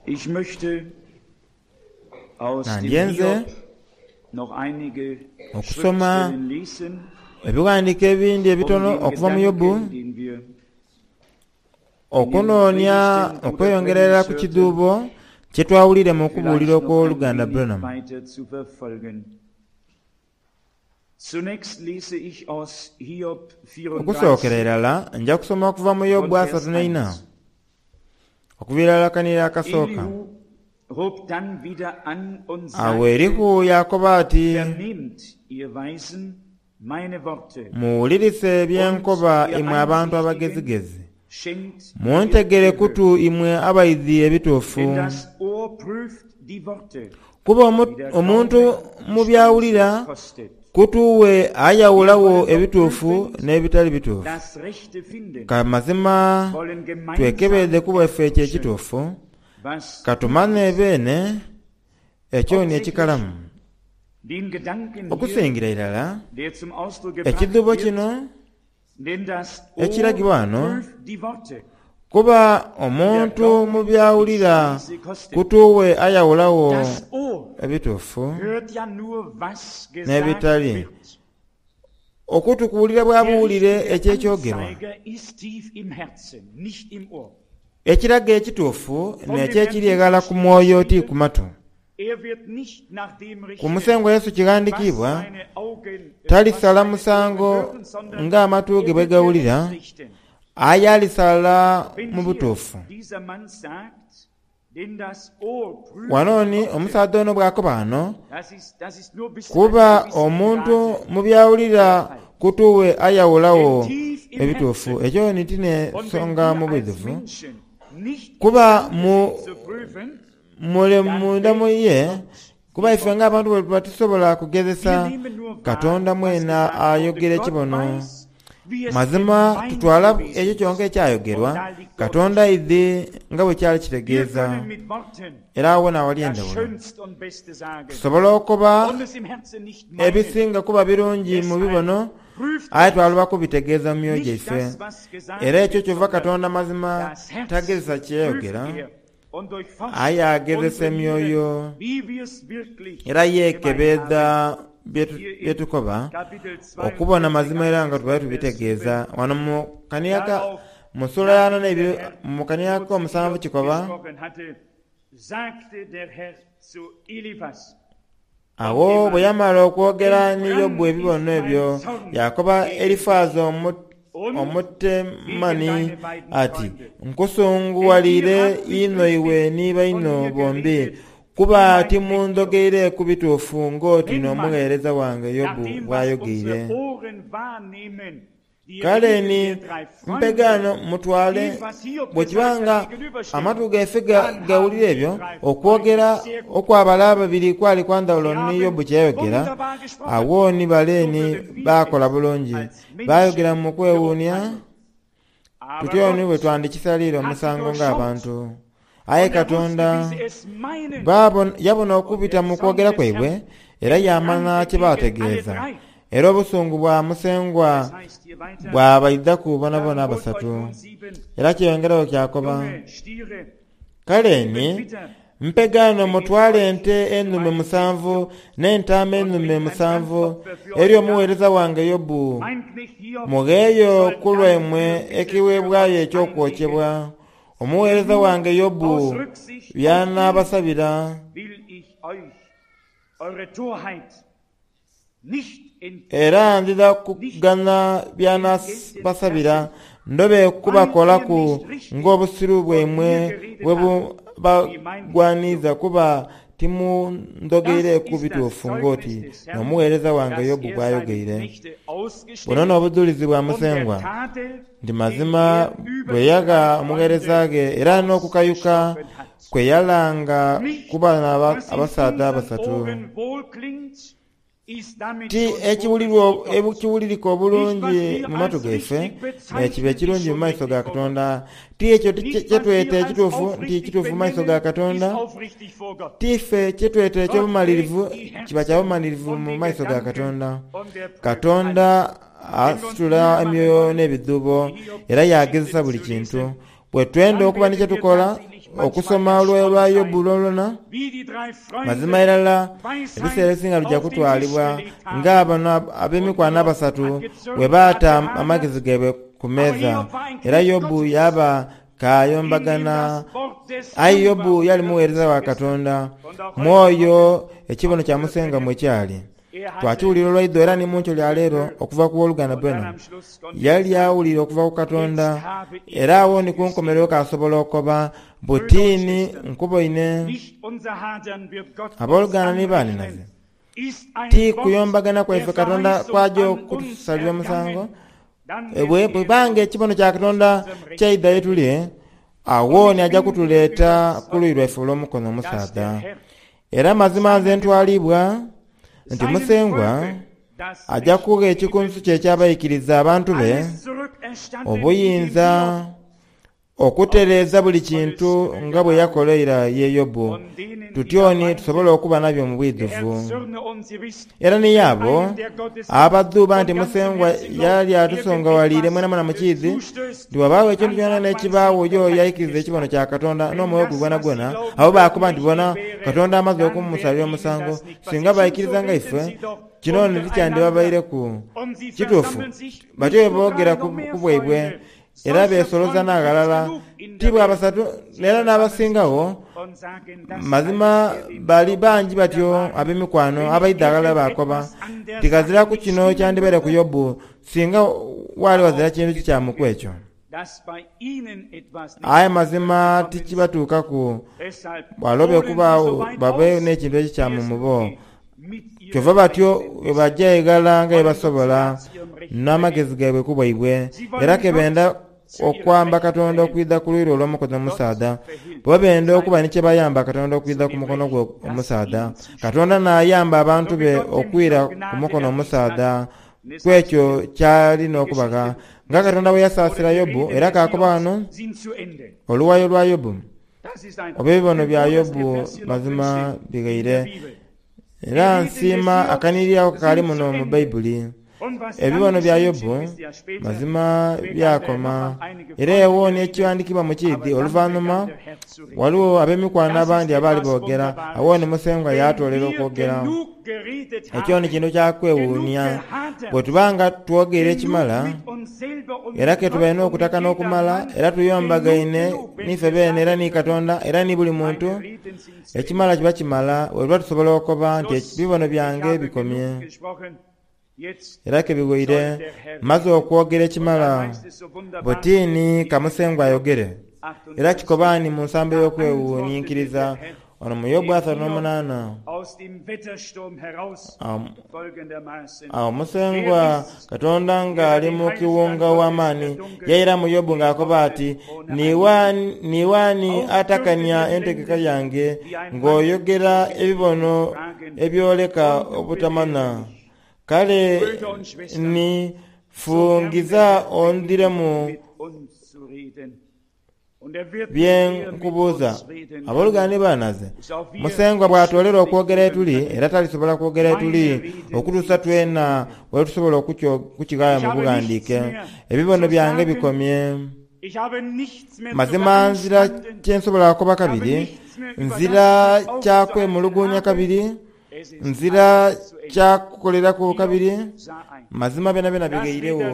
Ich möchte aus dem Nandyenze Hiob noch einige okusoma Schriftstellen lesen, ebighandiiko ebindi um ebitono den okuva mu Yobu Gedanken, den wir in den okunoonia Predigten Bruder okweyongera irala Branhams ku hörten, kidhuubo kye twawulire mu kubuulira vielleicht noch ein okw'oluganda wenig Branham. weiter zu verfolgen. Zunächst lese ich aus Hiob Okusookera 34 irala nja kusoma okuva mu von Yobu Vers asatu n'eina 1. okuva irala kanira akasooka. Elihu hob dann wieder an und Awo sagte, Erihu yaakoba ati, Vernehmt, ihr Weisen, meine Worte, Muwulirise bye und nkoba ihr imwe abantu Einsichtigen, abagezigezi. schenkt ihr Muntegere Gehör. kutu imwe abaidhi ebituufu. Denn das Ohr prüft die Worte, Kuba die der omuntu Gaumen mu byawulira Speise kostet. kutuwe Wir ayawulawo wollen doch ebituufu prüfend n'ebitali bituufu. das Rechte finden, Ka mazima wollen gemeinsam twekebeze ku bwaife ekyo erforschen, ekituufu, was gut katumane ist. beene ekyo ni Hauptsächlich ekikalamu. den Gedanken hier, Okusingira irala der zum Ausdruck gebracht ekidhuubo wird, kino denn das Ohr ekiragibwa wano prüft die Worte, kuba die der omuntu mu Gaumen die byawulira Speise kostet. kutuwe ayawulawo Das Ohr ebituufu hört ja nur, was gesagt n'ebitali. wird. Okutu kuwulira bwa Der buwulire richtige eky'ekyogerwa. Anzeiger ist tief im Herzen, nicht im Ohr. Ekiraga ekituufu Von dem n'ekyo Herrn ekiri eghala Jesus ku steht mwoyo ti geschrieben, ku matu. er wird nicht nach dem Ku richten, Musengwa Yesu was kighandikiibwa, seine Augen, was talisala seine Ohren musango hören, sondern ng'amatu ge er bwe wird gawulira, gerecht richten. aye alisala Wenn mu hier butuufu. dieser Mann sagt, denn das Ohr prüft Wano die ni Worte, omusaadha ono bw'akoba wano, das ist nur bis zu einem kuba gewissen omuntu Grade mu byawulira der Fall. kutuwe Denn ayawulawo tief im ebituufu. Herzen, Ekyo ni ti und wenn n'ensonga mu wir als bwidhuvu, Menschen nicht kuba imstande mu sind zu prüfen, mule dann munda mu wählt ye, Gott kuba die ife Worte. ng'abantu bwe tuba tusobola Wir kugezesa nehmen nur wahr, Katonda was mwena gesagt wurde. ayogera Gott ekibono. weiß, wie es Mazima gemeint tutwala gewesen ekyo kyonka ist. ekyayogerwa, Und da liegt der Katonda Unterschied. aidhi nga bwe kyali Wir kitegeeza, können mit Worten era awo n'awali das endawulo. Schönste und Beste sagen Tusobola okuba und es im Herzen nicht meinen. ebisinga kuba birungi mu Deshalb bibono, prüft aye Gott twaluba kubitegeeza mu myoyo nicht gyaife. das, was gesagt Era ekyo wird, kyova sondern Katonda mazima das Herz tagezesa prüft kyeyogera, er und durchforscht aye agezesa unsere Nieren, emyoyo wie wir es wirklich era gemeint haben. yeekebeedha Hier bye in tukoba Kapitel okubona 42, mazima era nga ab tubaye Vers 7. tubitegeeza. Wano mu kaniyaka Darauf, mu ssuula ya ana nachdem der n'ebiri Herr mu kaniyaka so zu omusanvu Hiob kikoba, gesprochen hatte, sagte der Herr zu Eliphas von awo bwe Teman, yamala okwogera ni Yobu Entbrannt ebibono ist mein ebyo, Zorn yakoba gegen dich Erifaazi und Omutemani gegen deine beiden ati, Freunde. Denn ihr Nkusunguwalire habt nicht inho iwe richtig ni von baino mir bombi, geredet, wie kuba mein Knecht Hiob. timundhogeire ku bituufu ng'oti Wenn man n'omugheereza wange nach Yobu dem, was bw'ayogeire. unsere Ohren wahrnehmen, die Kale Rede ni der drei Freunde mpegaano mutwale dem, was Hiob bwe kiba gesagt nga hat, gegenübersteht, amatu gaife dann haben gawulira die ebyo, drei Freunde okwogera sehr gut okw'abala gesprochen. ababiri kwali kwa ndawulo Sie ni haben Yobu kye yayogera, wunderbar gesprochen. awo ni bale So ni würden wir baakola es bulungi. als Baayogera Menschen mu kwewuunia, beurteilen. Aber tutyo ni bwe Gott twandikisaliire hat sie omusango durchschaut ng'abantu. Aye und er wusste, Katonda wie sie es meinen. yabona Und okubita der mu Zorn kwogera des kwaibwe, Herrn era yaamanya entbrannte kye gegen alle baategeeza. drei. Era obusungu bwa Musengwa Es heißt hier weiter, bwabaidhaku bonabona dann holt euch abasatu. nun sieben Era kyeyongerayo kyakoba, junge Stiere, kale sieben ni Widder, mpegaano begebt mutwale euch ente zu ennume meinem Knecht musanvu Hiob n'entaama und ennume bringt ein musanvu Brandopfer für eri euch dar. omuweereza wange Yobu. Mein Knecht Hiob Mugheeyo soll ku dann lwaimwe Fürbitte für ekiweebwayo euch anlegen, eky'okwokyebwa. denn Omuweereza nur wange Yobu aus Rücksicht auf ihn by'anaabasabira, will ich euch eure Torheit nicht era entgelten, ndidha nicht kugana entgelten by'anaabasabira, lassen, ndobe weil ihr kubakolaku nicht richtig ng'obusiru von mir bwaimwe geredet bwe habt, wie mein Knecht bubagwaniza Hiob. kuba timundhogeire Das ku ist das bituufu Zeugnis ng'oti des Herrn, n'omuweereza wange dass Yobu er seine bw'ayogeire. Knechte Buno ausgestellt n'obujulizi bwa und der Musengwa Tadel, nti den mazima er über bwe die yagha drei omugheereza Freunde ghe era n'okukayuka ausgesprochen hat. kwe yalanga Nicht, ku bano was in abasaadha unseren abasatu. Ohren wohlklingt, ist damit Ti schon vorgeschrieben Gott. ekiwulirika Nicht, was obulungi wir mu matu als gaife richtig n'ekiba bezeichnen, ist ekirungi mu schon maiso ga richtig vor Gott. Katonda. Ti ekyo Nicht, kye was wir tweta als ekituufu nti aufrichtig kituufu mu maiso ga benennen, ist Katonda, aufrichtig vor Gott. ti ffe kye tweta Gott eky'obumalirivu trägt die kiba kya Herzen bumalirivu und mu die maiso ga Gedanken Katonda. und er prüft Katonda alles. Wenn wir uns asitula Mühe machen emyoyo wollen, n'ebidhuubo die era Hiob-Geschichte yaagezesa buli zu kintu. lesen, Bwe twenda dann okuba ni werden kye wir tukola tatsächlich okusoma olwayo lwa Yobu lwonalwona, mazima irala ebiseera ebisinga luja kutwalibwa nga bano ab'emikwano abasatu bwe baata amagezi gaibwe ku meeza. Era Yobu yaaba kaayombagana. Aye Yobu yali mugheereza wa Katonda, mu oyo ekibono kya Musengwa mwe kyali. Twakiwulira olwaidho era ni mu nkyo lya leero okuva ku W'oluganda Branham. Yali awulira okuva ku Katonda, era agho ni ku nkomerero k'asobola okoba, Butini nkuboine. Ab'oluganda ni baanhinaze, ti kuyombagana kwaife Katonda kw'aja okutusalira omusango. Bwe bweba nga ekibono kya Katonda kyaidha ye tuli, agho ni aja kutuleeta ku luuyi lwaife olw'omukono omusaadha. Era mazima nze ntwalibwa nti Musengwa aja kugha ekikunsu kye eky'abaikiriza abantu be obuyinza okutereeza buli kintu nga bwe yakola eira ye Yobu, tutyo ni tusobole okuba nabyo mu bwidhuvu. Era ni y'abo abadhuuba nti Musengwa yali atusongawaliire mwenamwena mu kiidhi, nti wabaagho ekintu kyonakyona ekibaagho y'oyo aikiriza ekibono kya Katonda n'omwoyo gwe gwonagwona, abo baakoba nti bona Katonda amaze okumusalira omusango. Singa baikiriza nga ife, kino ni tikyandibabaireku. Kituufu, batyo bwe boogera ku bwaibwe, era beesoloza n'aghalala, ti bwa basatu era n'abasingagho. Mazima bali bangi batyo ab'emikwano abaidha aghalala baakoba nti ghaziraku kino kyandibaire ku Yobu singa waali ghazira kintu kikyamu ku ekyo. Aye mazima tikibatuukaku balobe kubaagho babe n'ekintu ekikyamu mu bo. Kyova batyo bwe baja eghala nga bwe basobola n'amagezi gaibwe ku bwaibwe, era ke benda okwamba Katonda okwidha ku luuyi lwe olw'omukono omusaadha. Bo benda okuba ni kye bayamba Katonda okwidha ku mukono gwe omusaadha. Katonda n'ayamba abantu be okwira ku mukono omusaadha ku ekyo ky'ali n'okubagha. Nga Katonda bwe yasaasira Yobu, era kaakoba ghano oluwayo lwa Yobu, oba ebibono bya Yobu mazima bighaire. Era nsiima akanhiriri ako kakaali muno mu Baibuli. Ebibono bya Yobu mazima byakoma. Era ewo n'ekighandikibwa mu kiidhi oluvanhuma ghaligho ab'emikwano abandi abaali boogera. Agho ni Musengwa yaatoolera okwogera. Ekyo ni kintu kya kwewuunia. Bwe tuba nga twogeire ekimala, era ke tubaire n'okutakana okumala, era tuyombagaine n'ife beene era ni Katonda era ni buli muntu, Ekimala kiba kimala bwe tuba tusobola okoba nti ebibono byange bikomye era ke bighoire, mmaze okwogera ekimala. Buti ni ka Musengwa ayogere. Era kikoba ni mu nsambo ey'okwewuninkiriza wano mu Yobu asatu n'omunaana. Agho Musengwa Katonda ng'ali mu kiwunga ow'amaani, yairamu Yobu ng'akoba ati, Niiwe ani atakania entegeka yange, ng'oyogera ebibono ebyoleka obutamanha? Kale ni fungiza ondhiremu Bye nkubuuza, aboluganda ni banhaze, Musengwa bw'atoolera okwogera ye tuli, era talisobola kwogera ye tuli okutuusa twena lwe tusobola okukighaayo mu bughandiike. Ebibono byange bikomye. Mazima nzira kye nsobola kukoba kabiri, nzira kya kwemuluguunia kabiri. Nzira kya kukoleraku kabiri, mazima byonabyona bighairegho.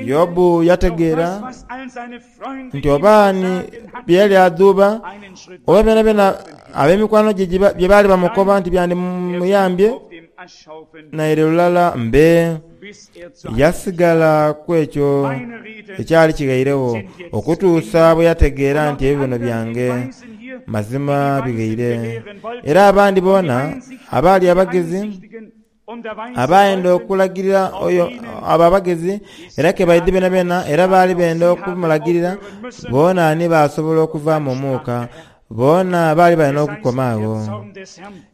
Yobu yategeera nti oba ni bye yali adhuuba, oba byonabyona ab'emikwano gye bye baali bamukoba nti byandimuyambye, naire lulala mbe. Yasigala ku ekyo ekyali kighairegho okutuusa bwe yategeera nti ebibono byange mazima bighaire. Era abandi boona abaali abagezi abaayenda okulagirira oyo abo abagezi era ke baidhi beenabeena era baali benda okumulagirira, boona ni baasobola okuvaamu omuuka. Boona baali bali n'okukoma agho.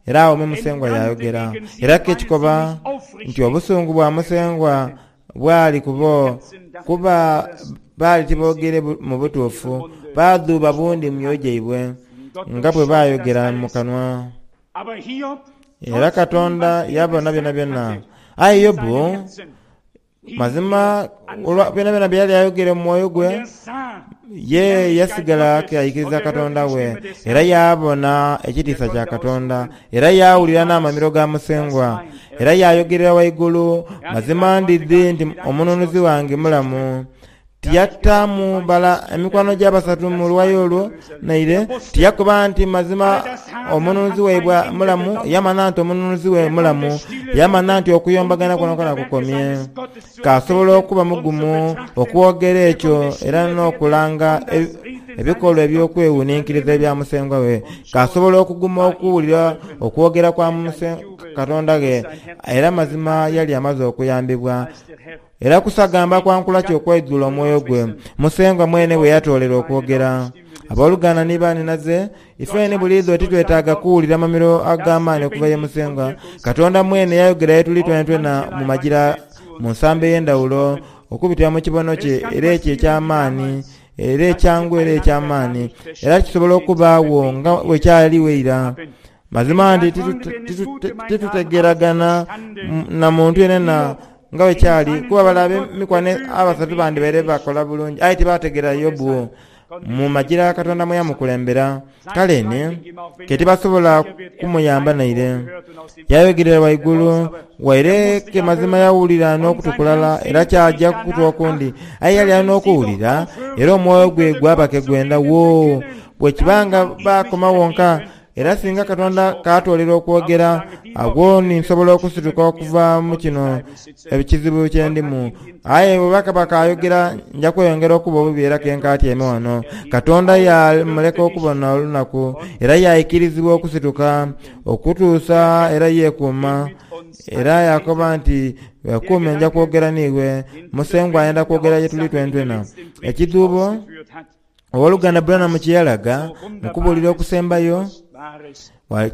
Era agho me Musengwa yaayogera. Era ke kikoba nti obusungu bwa Musengwa bwali ku bo, kuba baali tiboogere mu butuufu, baadhuuba bundi mu myoyo gyaibwe, nga bwe baayogera mu kanwa. Era Katonda yabona byonabyona. Aye Yobu Mazima, olwa byonabyona bye yali ayogere mu mwoyo gwe, Ye yasigala ke aikiriza Katonda we, era yaabona ekitiisa kya Katonda, era yaawulira n'amamiro ga Musengwa, era yaayogerera waigulu, Mazima ndidhi nti Omununuzi wange mulamu. Tiyataamu bala emikwano gye abasatu mu luwayo olwo naire. Tiyakoba nti mazima Omununuzi waibwe mulamu. Yamanha nti Omununuzi we mulamu. Yamanha nti okuyombagana kwonakwona kukomye. K'asobola okuba mugumu okwogera ekyo era n'okulanga ebikolwa eby'okwewuninkiriza ebya Musengwa we. K'asobola okuguma okuwulira okwogera kwa Katonda ghe, era mazima yali amaze okuyambibwa. Era kusagamba kwa nkula ki okwaidhula omwoyo gwe, Musengwa mwene bwe yatoolera okwogera? Aboluganda ni baanhinaze, ifeeni buliidho titwetaaga kuwulira mamiro ag'amaani okuva ye Musengwa. Katonda mwene yayogera ye tuli twenatwena mu magira mu nsambo ey'endhawulo okubitira mu kibono kye era ekyo eky'amaani era ekyangu era eky'amaani era kisobola okubaagho nga bwe kyaliwo eira. Mazima nti titutegeeragana na muntu yenayena nga bwe kyali, kuba bale ab'emikwano abasatu bandibaire bakola bulungi, aye tibaategeera Yobu mu magira Katonda mwe yamukulembera. Kale ni, ke tibasobola kumuyamba naire. Yayogerera waigulu, waire ke mazima yawulira n'okutu kulala era kyaja ku kutu okundi, aye yali ali n'okuwulira, era omwoyo gwe gwaba ke gwenda. Woo! Bwe kiba nga baakoma wonka, Era singa Katonda kaatoolera okwogera, agho ni nsobola okusituka okuva mu kino ekizibu kye ndimu. Aye bwe bakaba kaayogera, nja kweyongera okuba obubi era ke nkaatyaime wano. Katonda yaamuleka okubona olunaku, era yaikirizibwa okusituka okutuusa era yeekuuma. Era yaakoba nti, Weekuume, nja kwogera n'iwe. Musengwa ayenda kwogera ye tuli twenatwena. Ekidhuubo. Owoluganda Branham kye yalaga mu kubuulira okusembayo,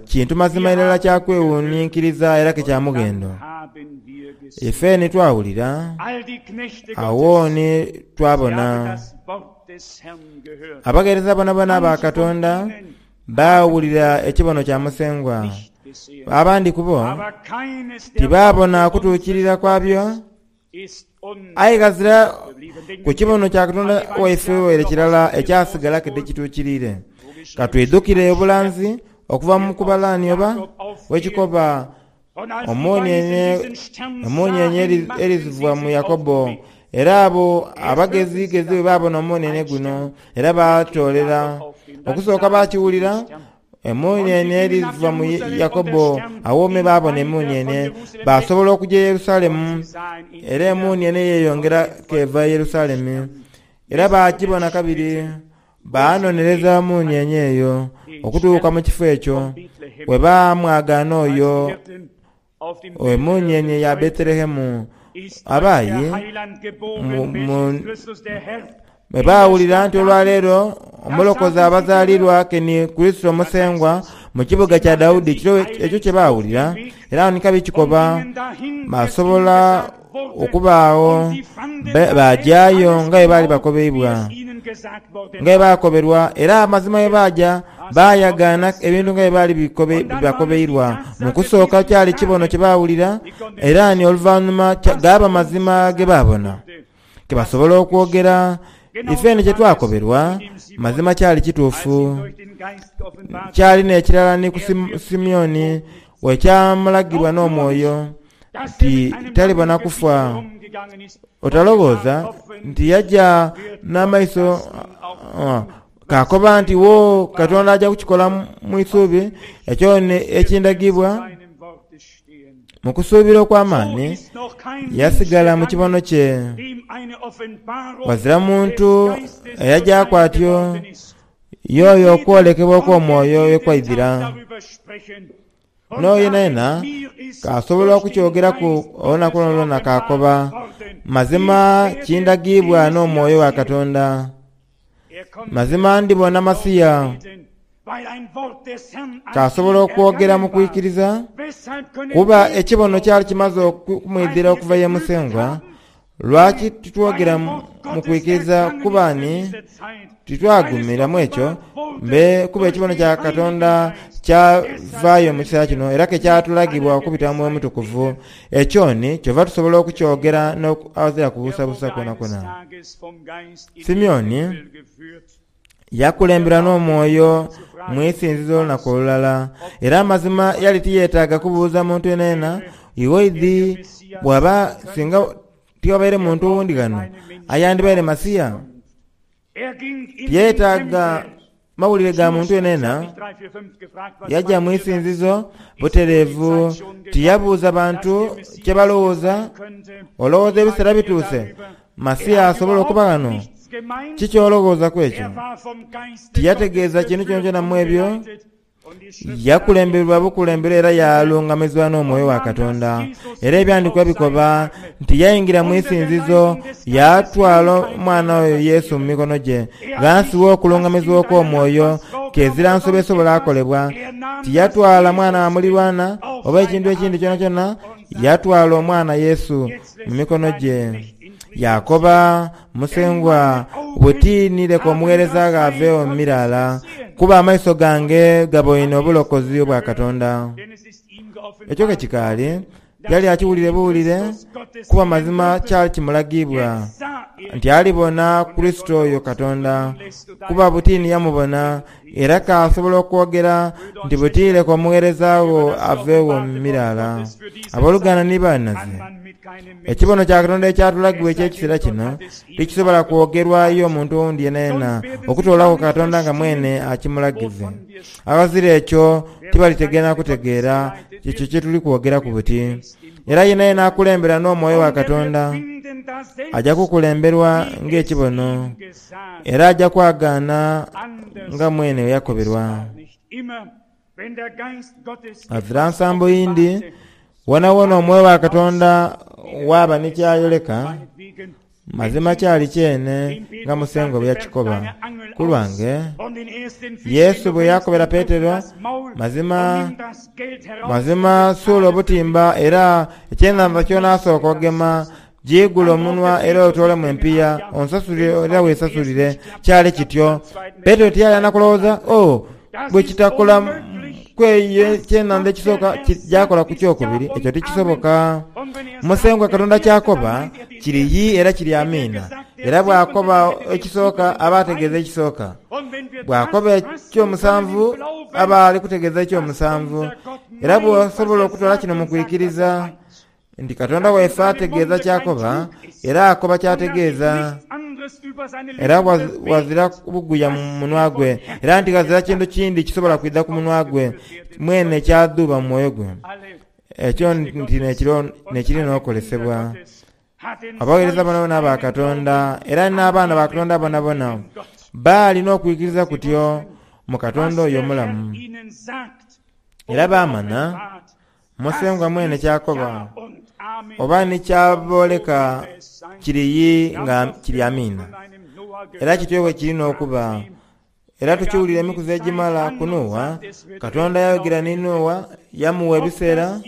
kintu mazima irala kya kwewuninkiriza era ke kya mughendo. Ife ni twawulira, agho ni twabona. Abagheereza bonabona aba Katonda baawulira ekibono kya Musengwa. Abandi ku bo tibaabona kutuukirira kwabyo. Aye ghazira ku kibono kya Katonda waife waire kirala ekyasigala ke tikituukiriire. Ka twidhukire obulanzi okuva mu kubalaani oba bw'ekikoba, Emuunienie eriziva mu Yakobo. Era abo abagezigezi bwe baabona omuunienie guno, era baatoolera okusooka baakiwulira, Emuunienie eriva mu Yakobo. Agho me baabona emuunienie, baasobola okuja e Yerusalemu. Era emuunienie yeeyongera k'eva e Yerusalemu. Era baagibona kabiri, baanonereza muunienie eyo okutuuka mu kifo ekyo we baamwagaana oyo emuunienie ya Bethelehemu. Abayi bwe baawulira nti olwaleero Omulokozi abazaalirwa ke ni Kurisito Musengwa mu kibuga kya Daudi, ekiro ekyo kye baawulira era ni kabi kikoba, baasobola okubaagho baajaayo nga bwe baali bakobeibwa, nga bwe baakoberwa. Era amazima bwe baaja baayagaana ebintu nga bwe baali bakobeirwa. Mu kusooka kyali kibono kye baawulira, era ni oluvanhuma gaaba mazima ge baabona. Ke basobola okwogera, Ife ni kye twakoberwa mazima kyali kituufu. Kyali n'ekirala ni ku Simeoni bwe kyamulagirwa n'omwoyo nti talibona kufa. Otalowooza nti yaja n'amaiso kaakoba nti, Woo, Katonda aja kukikola mu isuubi ekyo ekindagibwa. Mu kusuubira okw'amaani yasigala mu kibono kye. Ghazira muntu eyajaaku atyo y'oyo okwolekebwa okw'omwoyo ye kwaidhira. N'oyo yenayena k'asobola okukyogeraku olunaku lwonalwona k'akoba, Mazima kindagiibwa n'omwoyo wa Katonda. Mazima ndibona Masiya. K'asobola okwogera mu kwikiriza, kuba ekibono kyali kimaze okumwidhira okuva ye Musengwa. Lwaki titwogera mu kwikiriza kuba ni titwagumira mu ekyo? Mbe kuba ekibono kya Katonda Kyavaayo mu kiseera kino era ke kyatulagibwa okubita mu Mwoyo Mutukuvu. Ekyo ni kyova tusobola okukyogera n'aghazira kubuusabuusa kwonakwona. Simeoni yakulemberwa n'Omwoyo mu isinzizo olunaku olulala, era amazima yali tiyeetaaga kubuuza muntu yenayena, Iwe oidhi bw'aba singa tiwabaire muntu owundi ghano ayandibaire Masiya? Tiyeetaaga mawulire ga muntu yenayena. Yaja mu isinzizo butereevu, tiyabuuza bantu kye balowooza. Olowooza ebiseera bituuse Masiya asobole okuba ghano? Ki ky'olowooza ku ekyo? Tiyategeeza kintu kyonakyona mu ebyo. Yakulemberwa bukulemberwa era yaalungamizibwa n'Omwoyo wa Katonda. Era ebyandikwa bikoba nti yaingira mu isinzizo yaatwala omwana oyo Yesu mu mikono gye. Ghansi w'okulungamizibwa okw'Omwoyo, kezira nsobi esobola kolebwa. Tiyatwala mwana wa mulirwana oba ekintu ekindi kyonakyona, yatwala omwana Yesu mu mikono gye. Yaakoba, Musengwa, buti ni leka omugheereza gho aveegho mu miraala, kuba amaiso gange gaboine obulokozi obwa Katonda. Ekyo ke kikaali, yali akiwulire buwulire, kuba mazima kyali kimulagiibwa nti alibona Kurisito oyo Katonda, kuba buti ni yamubona, era k'asobola okwogera nti buti leka omugheereza wo aveegho mu miraala. Aboluganda ni banhaze, ekibono kya Katonda ekyatulagibwa eky'ekiseera kino tikisobola kwogerwa ye omuntu owundi yenayena okutoolaku Katonda nga mwene akimulagize. Aghazira ekyo tibalitegeera na kutegeera ekyo kye tuli kwogeraku buti. Era yenayena akulembera n'Omwoyo wa Katonda aja kukulemberwa ng'ekibono. Era aja kwagaana nga mwene bwe yakoberwa. Ghazira nsambo yindi wonawona omwoyo wa Katonda waaba ni ky'ayoleka, mazima kyali kyene nga Musengwa bwe yakikoba. Ku lwange, Yesu bwe yakobera Petero, mazima, mazima suula obutimba era ekyenhandha ky'onaasooka ogema Giigule omunwa era otoolemu empiiya, onsasulire era weesasulire. Kyali kityo. Petero tiyali na kulowooza, Oh, bwe kitakola ku eyo ekyenhandha ekisooka, kija kola ku kyokubiri. Ekyo tikisoboka. Musengwa Katonda ky'akoba kiri yii era kiri amiina. Era bw'akoba ekisooka aba ategeeza ekisooka. Bw'akoba eky'omusanvu aba ali kutegeeza eky'omusanvu. Era bw'osobola okutwala kino mu kwikiriza, Nti Katonda waife ategeeza ky'akoba, era akoba ky'ategeeza. Era ghazira buguya mu munwa gwe, era nti ghazira kintu kindi kisobola kwidha ku munwa gwe mwene kyadhuuba mu mwoyo gwe. Ekyo nti n'ekiri n'okolesebwa. Abagheereza bonabona aba Katonda, era n'abaana ba Katonda bonabona, baali n'okwikiriza kutyo mu Katonda oyo omulamu. Era baamanha Musengwa mwene ky'akoba, oba ni ky'abooleka kiri yii nga kiri amiina. Era kityo bwe kiri n'okuba. Era tukiwulira emikuzi egimala ku Noa, Katonda yayogera ni Noa, yamugha ebiseera,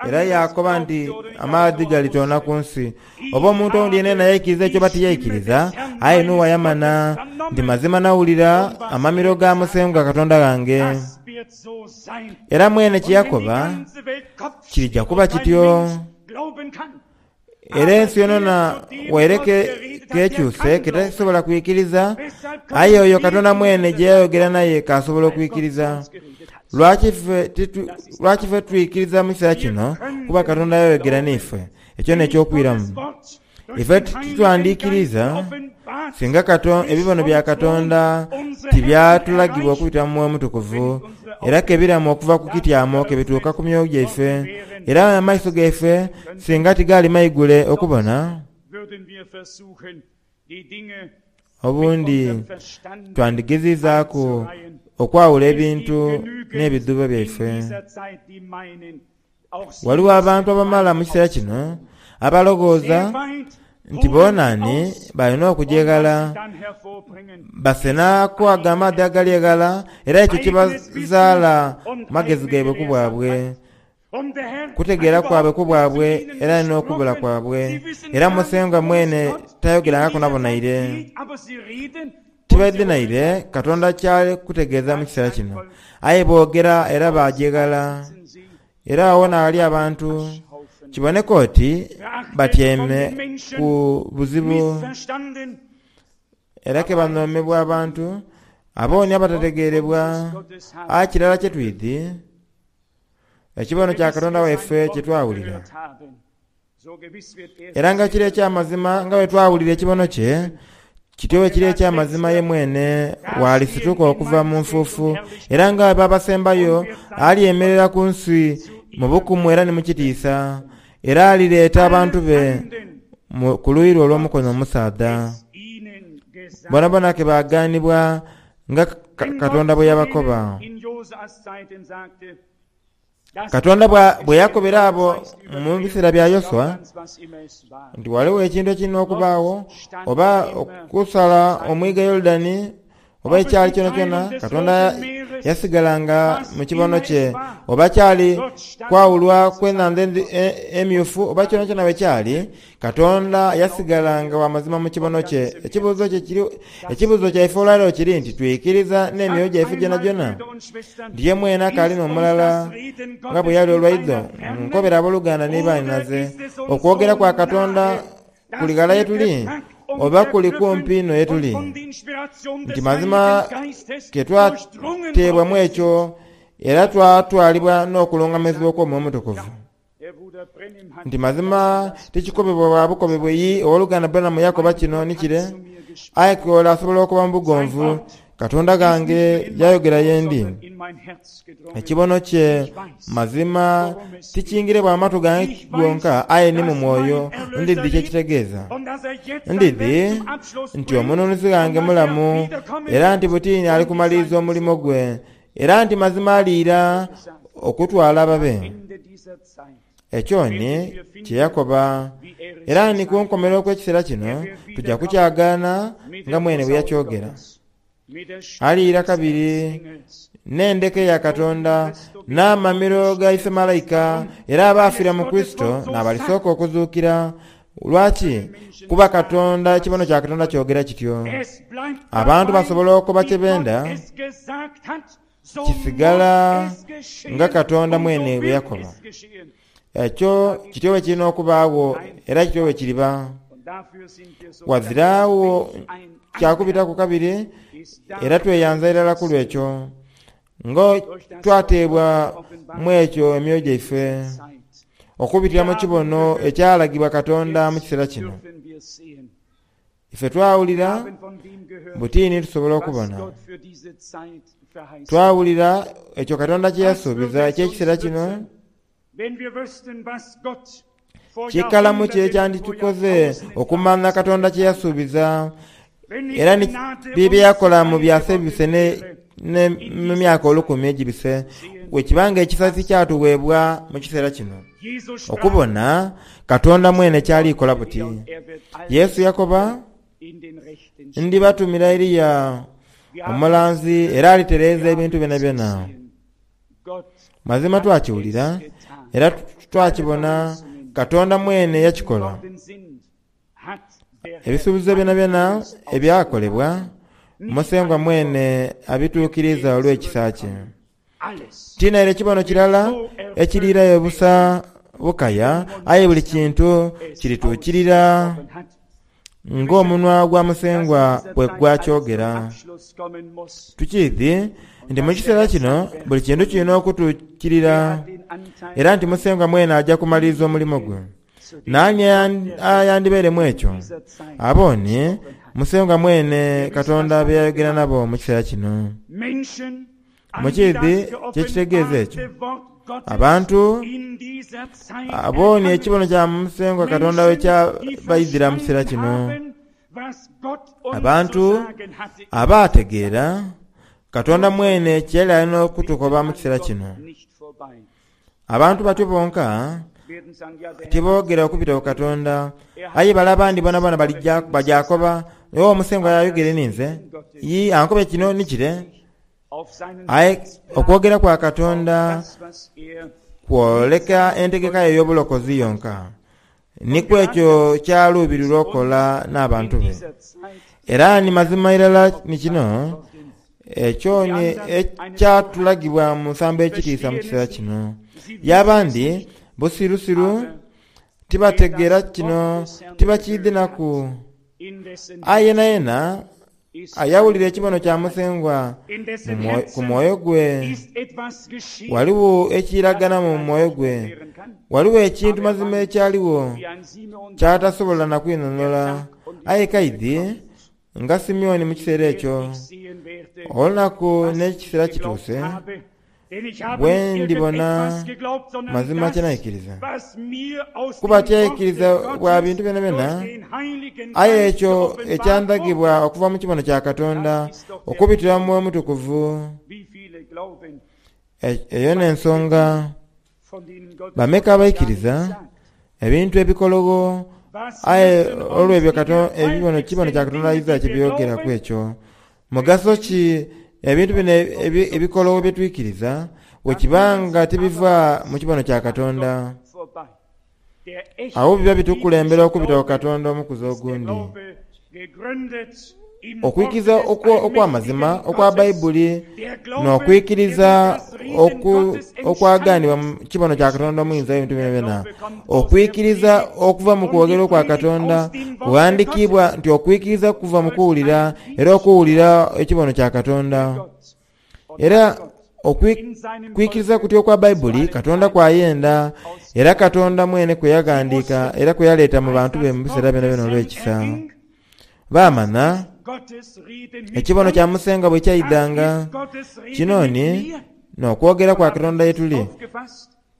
era yaakoba nti amaadhi galitoona ku nsi. Oba omuntu owundi yenayena yaikiriza ekyo oba tiyaikiriza, aye Noa yamanha nti mazima nawulira amamiro ga Musengwa Katonda ghange. Era mwene kye yakoba kirija kuba kityo. Era ensi yonona waire k'ekyuse k'etasobola kwikiriza, aye oyo Katonda mwene gye yayogera naye k'asobola okwikiriza. Lwaki ife twikiriza mu kiseera kino? Kuba Katonda yayogera n'ife. Ekyo n'eky'okwiramu. Ife titwandiikiriza singa ebibono bya Katonda tibyatulagibwa okubita mu Mwoyo Mutukuvu, era ke biramu okuva ku kityamo ke bituuka ku myoyo gyaife, era amaiso gaife singa tigaali maigule okubona, obundi twandigeziizaaku okwawula ebintu n'ebidhuubo byaife. Ghaligho abantu abamala mu kiseera kino abaloghooza nti boona ni balina okuja eghala basenaku ago amaadhi agali eghala era ekyo kibazaala magezi gaibwe ku bwabwe, kutegeera kwabwe ku bwabwe era n'okubula kwabwe. Era Musengwa mwene tayogerangaku nabo naire. Tibaidhi naire Katonda ky'ali kutegeeza mu kiseera kino. Aye boogera era baaja eghala. Era agho n'aghali abantu, kiboneka oti batyaime ku buzibu era ke banhoomebwa abantu, abooni abatategeerebwa. Aye kirala kye twidhi, ekibono kya Katonda waife kye twawulira. Era nga kiri eky'amazima nga bwe twawulira ekibono kye, kityo bwe kiri eky'amazima ye mwene bw'alisituka okuva mu nfuufu, era nga bwe babasembayo alyemerera ku nsi mu bukumu era ni mu kitiisa, era alireeta abantu be ku luuyi lwe olw'omukono omusaadha. Boonaboona ke baagaanibwa nga Katonda bwe yabakoba. Katonda bwe yakobera abo mu biseera bya Yoshua nti ghaligho ekintu ekirina okubaagho, oba okusala omwiga Yorudani, oba ekyali kyonakyona, Katonda yasigala nga mu kibono kye, oba kyali kwawulwa kw'enhandha Emyufu, oba kyonakyona bwe kyali, Katonda yasigala nga wa mazima mu kibono kye. Ekibuuzo kye kiri, ekibuuzo kyaife olwaleero kiri nti, twikiriza n'emyoyo gyaife gyonagyona nti ye mwene akaali n'omulala nga bwe yali olwaidho? Nkobera aboluganda ni baanhinaze, okwogera kwa Katonda kuli ghala ye tuli oba kuli kumpi inho ye tuli? Nti mazima ke twateebwamu ekyo era twatwalibwa n'okulungamizibwa okw'Omwoyo Omutukuvu. Nti mazima tikikobebwa bwa bukobebwe yi owoluganda Branham yakoba kino ni kire, aye ke ole asobola okoba mu bugonvu, Katonda ghange yayogera ye ndi. Ekibono kye mazima tikingire bwa matu gange gonka aye ni mu mwoyo ndidhi kye kitegeeza. Ndidhi nti omununuzi ghange mulamu era nti butini ali kumaliriza omulimo gwe Era nti mazima aliira okutwala ababe. Ekyo ni kye yakoba. Era ni ku nkomerero kw'ekiseera kino tuja kukyagaana nga mwene bwe yakyogera. Aliira kabiri n'endeka eya Katonda, n'amamiro ga ife malaika, era abaafiira mu Kurisito n'abalisooka okuzuukira. Lwaki? Kuba Katonda, ekibono kya Katonda kyogera kityo. Abantu basobola okoba kye benda, kisigala nga Katonda mwene bwe yakoba. Ekyo kityo bwe kirina okubaagho era kityo bwe kiriba. Ghaziragho kya kubitaku kabiri era tweyanza irala ku lw'ekyo, nga twateebwa mu ekyo emyoyo gyaife. Okubitira mu kibono ekyalagibwa Katonda mu kiseera kino, ife twawulira buti ni tusobola okubona. Twawulira ekyo Katonda kye yasuubiza eky'ekiseera kino. Kikalamu ki ekyanditukoze okumanha Katonda kye yasuubiza era ni bye yakola mu byasa ebibise ne mu myaka olukumi egibise, bwe kiba nga ekisa tikyatuweebwa mu kiseera kino okubona Katonda mwene ky'ali kola buti? Yesu yakoba, Ndibatumira Eliya omulanzi era alitereeza ebintu byonabyona. Mazima twakiwulira era twakibona, Katonda mwene yakikola. Ebisuubizo byonabyona ebyakolebwa, Musengwa mwene abituukiriiza olw'ekisa kye. Ti naire kibono kirala ekiriirayo busa bukaya, aye buli kintu kirituukirira ng'omunwa gwa Musengwa bwe gwakyogera. Tukiidhi nti mu kiseera kino buli kintu kiri n'okutuukirira, era nti Musengwa mwene aja kumaliriza omulimo gwe. Naani ayandibaire mu ekyo? Abo ni Musengwa mwene Katonda be yayogera nabo mu kiseera kino. Mukiidhi kye kitegeeza ekyo? Abantu abo ni ekibono kya Musengwa Katonda bwe kyabaidhira mu kiseera kino. Abantu abaategeera Katonda mwene kye yali ali n'okutukoba mu kiseera kino. Abantu batyo bonka tiboogera okubita ku Katonda, aye bale abandi boonaboona balija baja koba, Wo Musengwa yayogeire ninze, yii ankobye kino ni kire. Aye okwogera kwa Katonda kwoleka entegeka ye ey'obulokozi yonka, ni ku ekyo ky'aluubirirwa okukola n'abantu be. Era ni mazima irala ni kino, ekyo ni ekyatulagibwa mu nsambo ey'ekitiisa mu kiseera kino. Ye abandi busirusiru, tibategeera kino, tibakiidhi naku. Aye yenayena ayawulira ekibono kya Musengwa ku mwoyo gwe, ghaligho ekiragana mu mwoyo gwe, ghaligho ekintu mazima ekyaligho ky'atasobola na kwinhonhola. Aye kaidhi nga Simeoni mu kiseera ekyo, olunaku n'ekiseera kituuse, Bwe ndibona mazima kye naikiriza. Kuba tyaikiriza bwa bintu byonabyona, aye ekyo ekyandhagibwa okuva mu kibono kya Katonda okubitira mu Mwoyo Mutukuvu. Eyo n'ensonga. Bameka abaikiriza ebintu ebikologho aye olw'ebyo ekibono kya Katonda aidha kye byogeraku ekyo? Mugaso ki ebintu bino ebikologho bye twikiriza bwe kiba nga tibiva mu kibono kya Katonda? Agho biba bitukulembera okubita ku Katonda omukuzi ogundi. Okwikiriza okw'amazima okwa Baibuli n'okwikiriza okwagaanibwa mu kibono kya Katonda Omuyinza w'ebintu byonabyona. Okwikiriza okuva mu kwogera okwa Katonda kughandikiibwa nti okwikiriza kuva mu kuwulira, era okuwulira ekibono kya Katonda. Era okwikiriza kutyo okwa Baibuli Katonda kw'ayenda, era Katonda mwene kwe yaghandiika era kwe yaleeta mu bantu be mu biseera byonabyona olw'ekisa. Baamanha ekibono kya Musengwa bwe kyaidhanga. Kino ni, n'okwogera kwa Katonda ye tuli.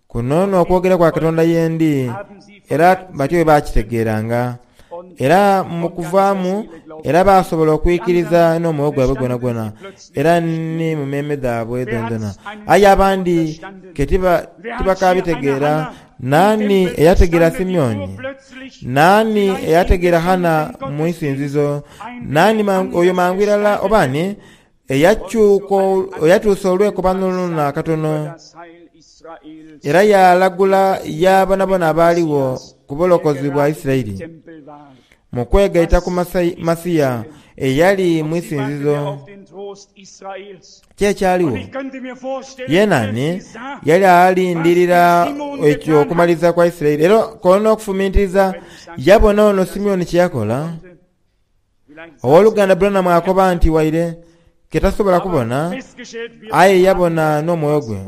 Kuno n'okwogera kwa Katonda ye ndi. Era batyo bwe baakitegeeranga. Era mu kuvaamu, era baasobola okwikiriza n'omwoyo gwabwe gwonagwona, era ni mu meeme dhaabwe dhoonadhoona. Aye abandi ke tibakaabitegeera. Naani eyategeera Simeoni? Naani eyategeera Hanna mu isinzizo? Naani oyo mangu irala oba ani eyatuusa olwekobano luno akatono era yaalagula yaabonabona abaaligho ku bulokozi bwa Isiraeli mu kwegaita ku Masiya eyali mu isinzizo? Ki ekyaligho? Ye naani yali alindirira ekyo okumaliriza kwa Isiraeli? Era k'olina okufumintiriza, yabona ono Simeoni kye yakola. Ow'oluganda Branham akoba nti waire ke tasobola kubona, aye yabona n'omwoyo gwe.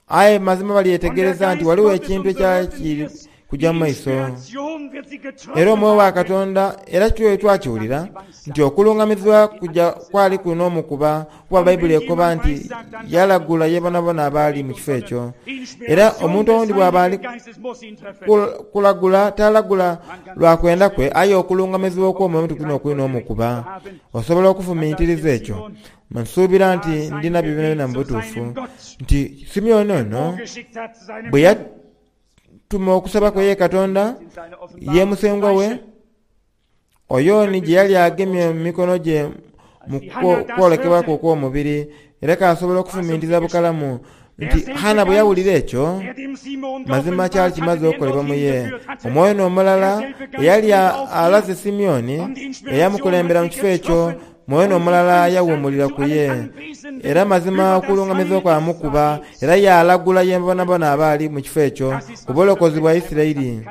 Aye mazima balyetegereza nti ghaligho ekintu ekyali kiri kuja mu maiso. Era Omwoyo wa Katonda, era twakiwulira nti okulungamizibwa kuja kwali kulina omukuba, kuba Baibuli ekoba nti yalagula ye bonabona abaali mu kifo ekyo. Era omuntu owundi bw'aba ali kulagula, talagula lwa kwenda kwe, aye okulungamizibwa okw'Omwoyo Omutukuvu n'okulina omukuba. Osobola okufumintiriza ekyo? Nsuubira nti ndi nabyo byonabyona mu butuufu, nti Simeoni ono bwe yatuma okusaba kwe ye Katonda, ye Musengwa we, oyo ni gye yali agemye mu mikono gye mu kwolekebwa kwe okw'omubiri, era k'asobola okufumintiriza bukalamu nti Hanna bwe yawulira ekyo, mazima kyali kimaze okukolebwa mu ye. Omwoyo n'omulala eyali alaze Simeoni, eyamukulembera mu kifo ekyo, Mwoyo n'omulala yawuumulira ku ye. Era mazima okulungamizibwa kwamukuba, era yaalagula ye bonabona abaali mu kifo ekyo ku bulokozi bwa Isiraeli.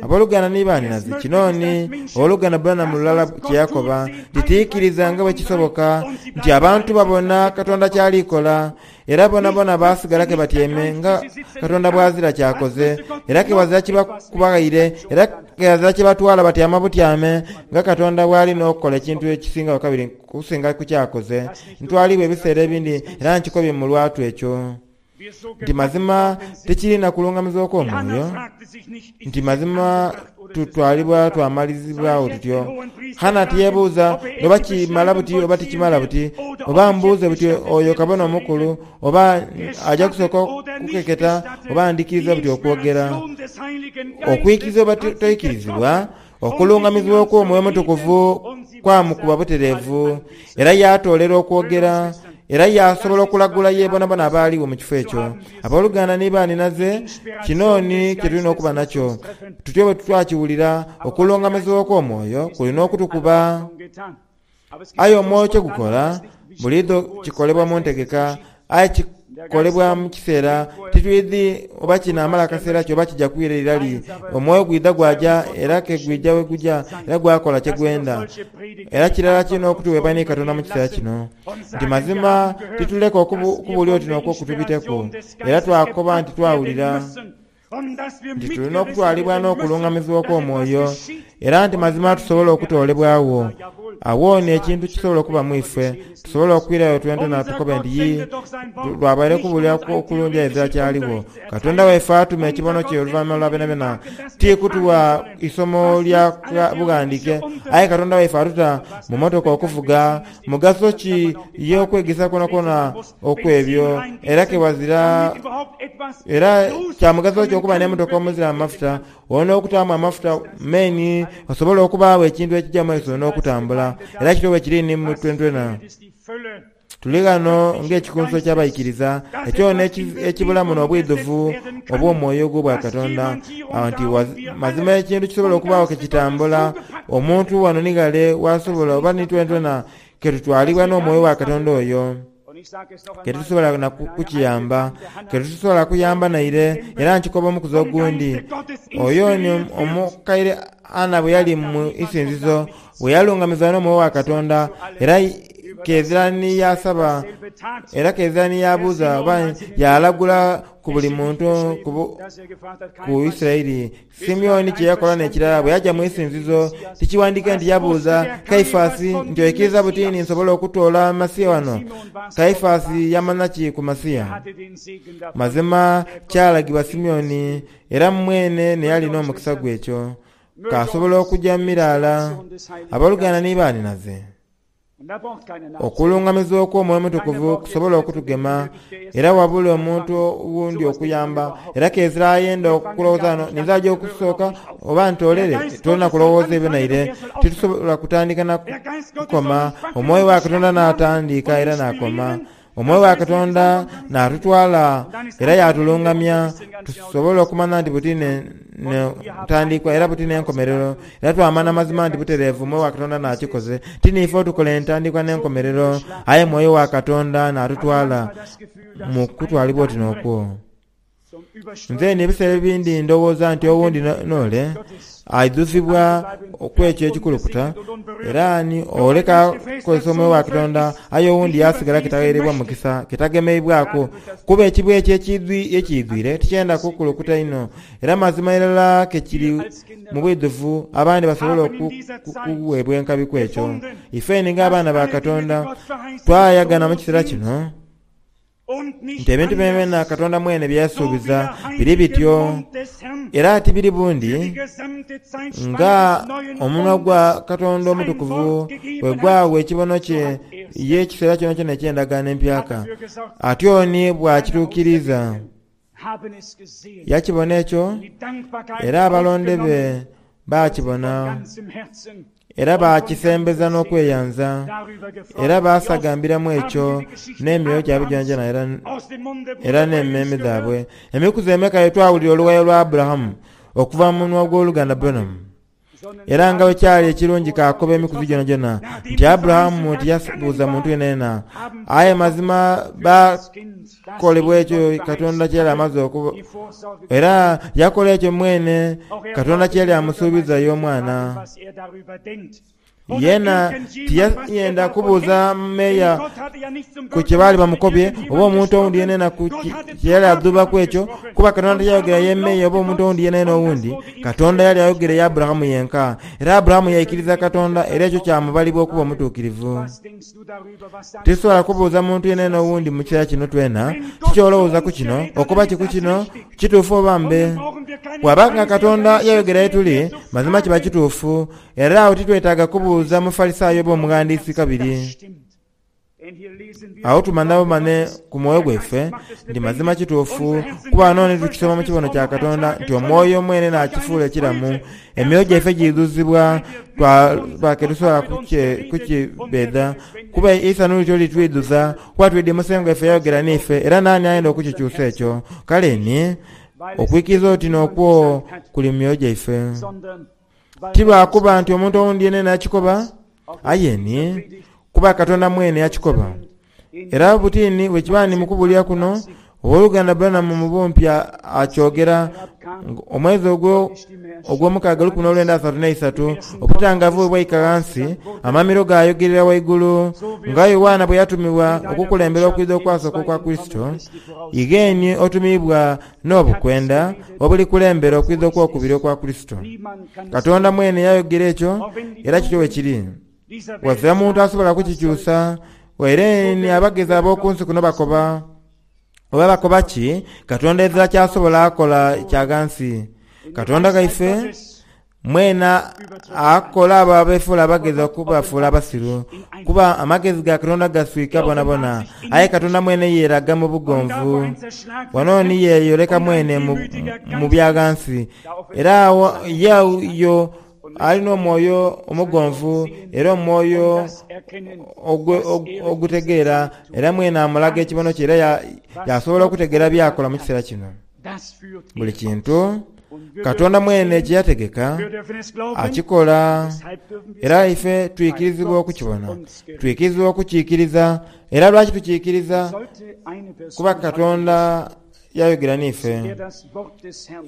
Aboluganda ni baanhinaze, kino ni Owoluganda Branham lulala kye yakoba, nti tiikiriza nga bwe kisoboka nti abantu babona Katonda ky'ali kola, era bonabona baasigala ke batyaime nga Katonda bw'azira ky'akoze, era ke ghazira kye bakubaghaire, era ke ghazira kye batwala batyama butyame nga Katonda bw'ali n'okukola ekintu ekisingagho kabiri okusinga ku ky'akoze. Ntwaliibwa ebiseera ebindi era nkikobye mu lwatu ekyo. Nti mazima tikiri na kulungamizibwa okw'omwoyo, nti mazima tutwalibwa twamalizibwagho tutyo. Hanna tiyeebuuza oba kimala buti oba tikimala buti, oba mbuuze buti oyo kabona omukulu, oba aja kusooka kukeketa, oba ndhikiriza buti okwogera. Okwikiriza oba toikirizibwa, okulungamizibwa okw'Omwoyo Omutukuvu kwamukuba butereevu, era yaatoolera okwogera. Era yaasobola okulagula ye bonabona abaaligho mu kifo ekyo. Aboluganda ni baanhinaze, kino ni kye tulina okuba nakyo. Tutyo bwe twakiwulira, okulungamizibwa okw'omwoyo kulina okutukuba. Aye omwoyo kye gukola, buliidho kikolebwa mu ntegeka, aye kikolebwa mu kiseera titwidhi oba kinaamala kaseera ki oba kija kwira irali. Omwoyo gwidha gwaja era ke gwija we guja era gwakola kye gwenda. Era kirala kirina okutuweebwa ni Katonda mu kiseera kino, nti mazima tituleka okubuulira oti n'okwo kutubiteku, era twakoba nti twawulira. Nti tulina okutwalibwa n'okulungamizibwa okw'omwoyo, era nti mazima tusobola okutoolebwagho. Agho ni ekintu kisobola okuba mu ife, tusobola okwirayo twentwena tukobe nti, Yii, lwabaire kubuulira okulungi aye ezira kyaligho. Katonda waife atuma ekibono kye oluvanhuma lwa byonabyona, ti kutuwa isomo lya bughandiike, aye Katonda waife atuta mu motoka okuvuga. Mugaso ki ye okwegesa kwonakwona okw'ebyo? Era ke ghazira. Era kya mugaso ki okuba n'emotoka omuzira amafuta? Olina okutaamu amafuta meni osobole okubaagho ekintu ekija mu maiso n'okutambula. Era kityo bwe kiri ni mu twentwena. Tuli ghano ng'ekikunsu eky'abaikiriza, ekyona ekibulamu n'obwidhuvu obw'omwoyo ogw'Obwakatonda, nti mazima ekintu kisobola okubaagho ke kitambula, omuntu ghano ni ghale w'asobola, oba ni twentwena ke tutwalibwa n'omwoyo wa Katonda oyo, ke titusobola na kukiyamba, ke titusobola kuyamba naire. Era nkikoba omukuzi ogundi, oyo ni omukaire Anna bwe yali mu isinzizo, Bwe yalungamizibwa n'Omwoyo wa Katonda, era kezira ni yaasaba, era kezira ni yaabuuza oba yaalagula ku buli muntu ku Isiraeli. Simeoni kye yakola n'ekirala bwe yaja mu isinzizo, tikiwandiike nti yabuuza Kaifasi nti, Oikiriza buti ni nsobola okutoola Masiya wano? Kaifasi yamanha ki ku Masiya? Mazima kyalagibwa Simeoni, era mwene n'eyali n'omukisa gwe ekyo. Kaasobola okuja mu miraala, aboluganda ni baanhinaze. Okulungamizibwa okw'Omwoyo Omutukuvu kusobola okutugema, era wabula omuntu owundi okuyamba. Era kezira ayenda okulowooza ghano, ninze aja okusooka oba ntoolere? Tolina kulowooza ebyo naire. Titusobola kutandika na kukoma. Omwoyo wa Katonda n'atandiika era n'akoma. Omwoyo wa Katonda naatutwala era yaatulungamya tusobole okumanya nti buti n'entandikwa era buti n'enkomerero, era twamanya mazima nti butereevu Omwoyo wa Katonda naakikoze. Ti niife otukola entandikwa n'enkomerero, aye Mwoyo wa Katonda naatutwala mu kutwalibwa oti n'okwo. Nze ni ebiseera ebindi ndowooza nti owundi n'ole aidhuzibwa okw'ekyo ekikulukuta, era ni ole k'akozesa omwoyo wa Katonda aye owundi yaasigala ke tagheereibwa mukisa, ke tagemeibwaku. Kuba ekibwa ekyo ekiidhwire tikyenda kukulukuta inho, era mazima irala ke kiri mu bwidhuvu abandi basobole okuweebwa enkabi ku ekyo. Ifeeni ng'abaana ba Katonda twayagana mu kiseera kino. Nti ebintu byonabyona Katonda mwene bye yasuubiza biri bityo, era tibiri bundi nga omunwa gwa Katonda omutukuvu bwe gwagha ekibono kye ye ekiseera kyonakyona eky'endagaano empyaka. Atyo ni bw'akituukiriza. Yakibona ekyo, era abalonde be baakibona. Era baakisembeza n'okweyanza, era baasagambiramu ekyo n'emyoyo gyabwe gyonagyona era n'emmeeme dhaabwe. Emikuzi emeka ye twawulira oluwayo lwa Aburahamu okuva mu munwa gw'oluganda Branham? Era nga bwe kyali ekirungi kaakoba emikuzi gyonagyona nti Aburahamu tiyabuuza muntu yenayena, aye mazima baakolebwa ekyo Katonda kye yali amaze okuba, era yakola ekyo mwene Katonda kye yali amusuubiza y'omwana. Yeena tiyayenda kubuuza meeya ku kye baali bamukobye, oba omuntu owundi yenayena ku kye yali adhuubaku ekyo, kuba Katonda tiyayogera ye meeya oba omuntu owundi yenayena owundi. Katonda yali ayogera ye Aburahamu yenka. Era Aburahamu yaikiriza Katonda, era ekyo kyamubalibwa okuba omutuukirivu. Titusobola kubuuza muntu yenayena owundi mu kiseera kino twena, Kiki olowooza ku kino? Okoba ki ku kino? Kituufu oba mbe? Bw'aba nga Katonda yayogera ye tuli, mazima kiba kituufu. Era agho titwetaaga kubuuza Mufarisaayo oba omughandiisi kabiri. Agho tumanha bumane ku mwoyo gwaife nti mazima kituufu, kuba ghano ni tukisoma mu kibono kya Katonda nti Omwoyo mwene n'akifuula ekiramu. Emyoyo gyaife giidhuzibwa twaba ke tusobola kukibedha, kuba eisanhu lityo litwidhuza, kuba twidhi Musengwa waife yayogera n'ife, era naani ayenda okukikyusa ekyo? Kale ni, okwikiriza oti n'okwo kuli mu myoyo gyaife. Ti lwa kuba nti omuntu owundi yenayena yakikoba, aye ni kuba Katonda mwene yakikoba. Era buti ni bwe kiba ni mu kubuulira kuno, Ow'oluganda Branham mu bumpi akyogera, omwezi ogwo ogw'omukaaga 1933, obutangaavu bwe bwaika ghansi, amamiro gaayogerera waigulu, nga Yowaana bwe yatumibwa okukulembera okwidha okwasooka okwa Kurisito, Ighe otumiibwa n'obukwenda obulikulembera okwidha okw'okubiri okwa Kurisito. Katonda mwene yayogera ekyo, era kityo bwe kiri. Ghazira muntu asobola kukikyusa, waire ni abagezi ab'oku nsi kuno bakoba. Oba bakoba ki, Katonda ezira ky'asobola kola kya ghansi. Katonda ghaife Mwena akola abo abeefuula abagezi okubafuula abasiru, kuba amagezi ga Katonda gaswika bonabona. Aye Katonda mwene yeeraga mu bugonvu. Wano ni yeeyoleka mwene mu bya ghansi, era agho ye oyo ali n'omwoyo omugonvu era omwoyo ogutegeera, era mwene amulaga ekibono kye era yaasobola okutegeera by'akola mu kiseera kino. Buli kintu Katonda mwene kye yategeka akikola, era ife twikirizibwa okukibona. Twikirizibwa okukiikiriza. Era lwaki tukiikiriza? Kuba Katonda yayogera n'ife.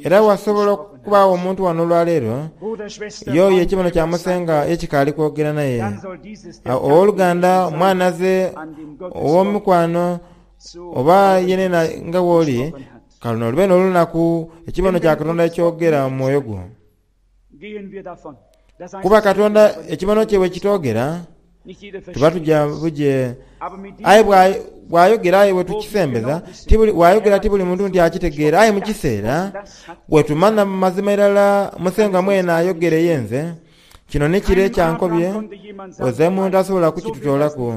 Era wasobola okubaagho omuntu wano olwaleero, y'oyo ekibono kya Musengwa ye kikaali kwogera naye. Ow'oluganda, mwanhaze, ow'omukwano, oba yenena nga bw'oli, ka luno lube n'olunaku ekibono kya Katonda ekyogera mu mwoyo gwo. Kuba Katonda ekibono kye bwe kitoogera, tuba tuja buje. Aye bw'ayogera aye bwe tukisembeza, bw'ayogera ti buli muntu nti akitegeera, aye mu kiseera bwe tumanha mu mazima irala Musengwa mwene ayogere ye nze, kino ni kire kyankobye, ozira muntu asobola kukitutoolaku.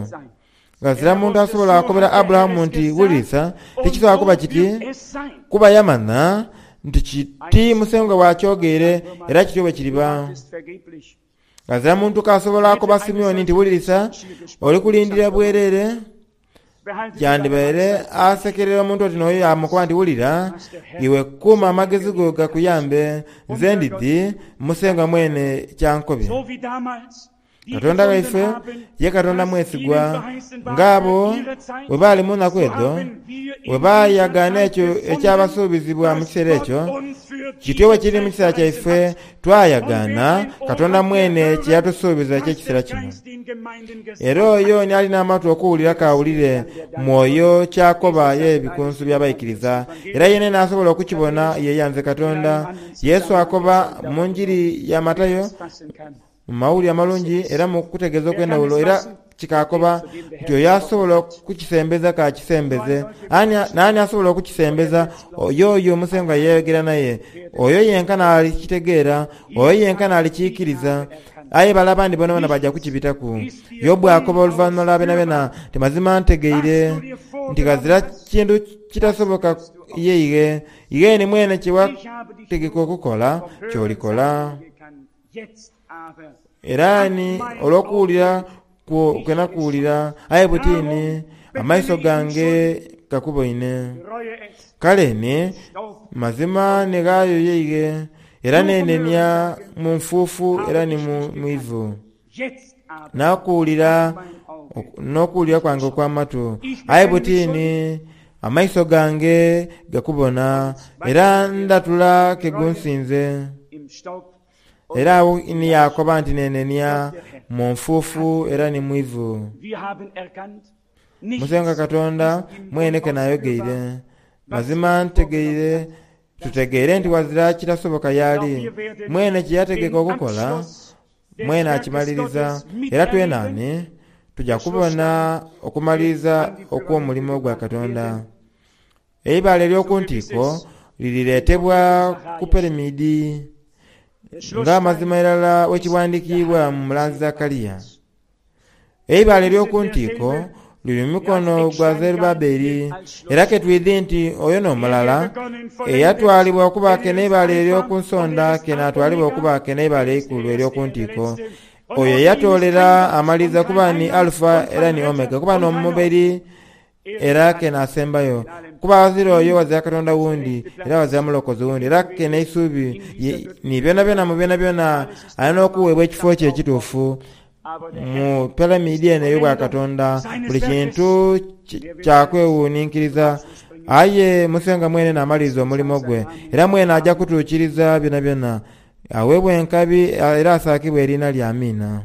Ghazira muntu asobola kukobera Aburahamu nti, Wulirisa, tikisobola kuba kiti, kuba yamanha nti kiti Musengwa bw'akyogeire era kityo bwe kiriba. Ghazira muntu k'asobola kukoba Simeoni nti, Wulirisa, oli kulindira bwereere. Kyandibaire asekerera omuntu oti n'oyo yaamukoba nti, Wulira, iwe kuuma amagezi go gakuyambe, nze ndidhi Musengwa mwene ky'ankobye. Katonda waife ye Katonda mwesigwa, ng'abo bwe baali mu naku edho, bwe baayagaana ekyo ekyabasuubizibwa mu kiseera ekyo, kityo bwe kiri mu kiseera kyaife, twayagaana Katonda mwene kye yatusuubiza eky'ekiseera kino. Era oyo ni ali n'amatu okuwulira k'awulire Mwoyo ky'akoba y'Ebikunsu by'Abaikiriza. Era yeene n'asobola okukibona yeyanze Katonda. Yesu akoba mu Njiri ya Matayo, Mu Mawulire Amalungi era mu kutegeeza okw'endhawulo era kikaakoba nti oyo asobola okukisembeza k'akisembeze. Ani, naani asobola okukisembeza? Oyo oyo Musengwa ye yayogera naye. Oyo yenka n'alikitegeera, oyo yenka n'alikiikiriza. Aye bale abandi boonaboona baja kukibitaku. Yobu akoba oluvanhuma lwa byonabyona nti, Mazima ntegeire nti ghazira kintu kitasoboka ye ighe. Ighe ni mwene kye wategeka okukola, ky'olikola. Era ni olw'okuwulira kwo kwe nakuwulira, aye buti ni amaiso gange gakuboine. Kale ni, mazima ni ghaayo yeighe, era neenenia mu nfuufu era ni mu ivu. Nakuwulira n'okuwulira kwange okw'amatu, aye buti ni amaiso gange gakubona, era ndhatula ke gunsinze. Era agho ni yaakoba nti, Nenenia mu nfuufu era ni mu ivu. Musengwa Katonda mwene ke naayogeire. Mazima ntegeire, tutegeire nti ghazira kitasoboka y'ali. Mwene kye yategeka okukola, mwene akimaliriza. Era twenaani tuja kubona okumaliriza okw'omulimo gwa Katonda. Eibaale ery'oku ntiiko lirireetebwa ku piramidi, ng'amazima irala bwe kighandiikiibwa mu mulanzi Zakaria. Eibaale ery'oku ntiiko luli mu mukono gwa Zerubbabeli. Era ke twidhi nti oyo n'omulala eyatwalibwa okuba ke n'eibaale ery'oku nsonda ke n'atwalibwa okuba ke n'eibaale eikulu ery'oku ntiiko. Oyo eyatoolera amaliriza kuba ni Alufa era ni Omega, kuba n'omuberi era ke n'asembayo. Kuba ghazira oyo ghazira Katonda wundi, era ghazira mulokozi wundi, era ke n'eisuubi ni byonabyona mu byonabyona alina okuweebwa ekifo kye ekituufu mu piramidi eno ey'obwakatonda. Buli kintu kya kwewuninkiriza. Aye Musengwa mwene n'amaliriza omulimo gwe, era mwene aja kutuukiriza byonabyona. Aweebwa enkabi era asaakibwe eriina lye. Amiina.